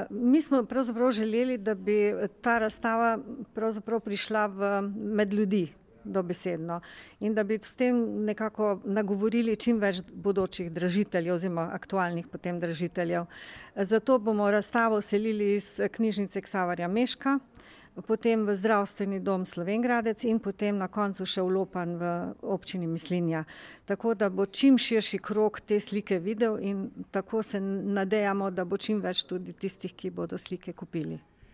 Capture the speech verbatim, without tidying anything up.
Mi smo pravzaprav želeli, da bi ta razstava pravzaprav prišla v, med ljudi dobesedno in da bi s tem nekako nagovorili čim več bodočih dražiteljev oziroma aktualnih potem dražiteljev. Zato bomo razstavo selili iz knjižnice Ksaverja Mežka, potem v zdravstveni dom Slovenj Gradec in potem na koncu še v Lopan v občini Mislinja. Tako da bo čim širši krog te slike videl in tako se nadejamo, da bo čim več tudi tistih, ki bodo slike kupili.